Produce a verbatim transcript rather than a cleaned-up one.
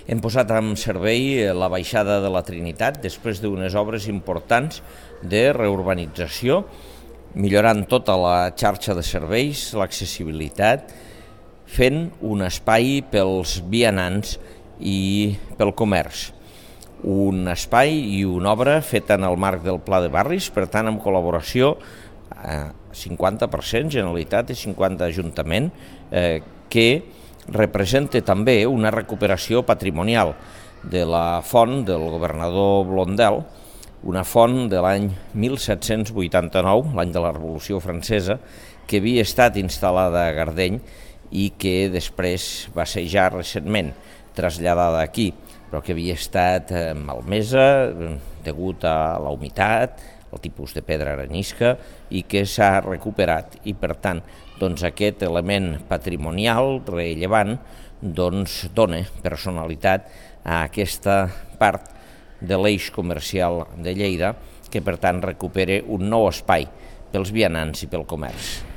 Hem posat en servei la baixada de la Trinitat després d'unes obres importants de reurbanització, millorant tota la xarxa de serveis, l'accessibilitat, fent un espai pels vianants i pel comerç. Un espai i una obra feta en el marc del Pla de Barris, per tant, en col·laboració a cinquanta per cent Generalitat i cinquanta Ajuntament, eh, que representa també una recuperació patrimonial de la font del governador Blondel, una font de l'any mil set-cents vuitanta-nou, l'any de la Revolució Francesa, que havia estat instal·lada a Gardeny i que després va ser ja recentment traslladada aquí, però que havia estat malmesa degut a la humitat, el tipus de pedra arenisca, i que s'ha recuperat. I per tant, doncs, aquest element patrimonial rellevant doncs, dona personalitat a aquesta part de l'eix comercial de Lleida, que per tant recupera un nou espai pels vianants i pel comerç.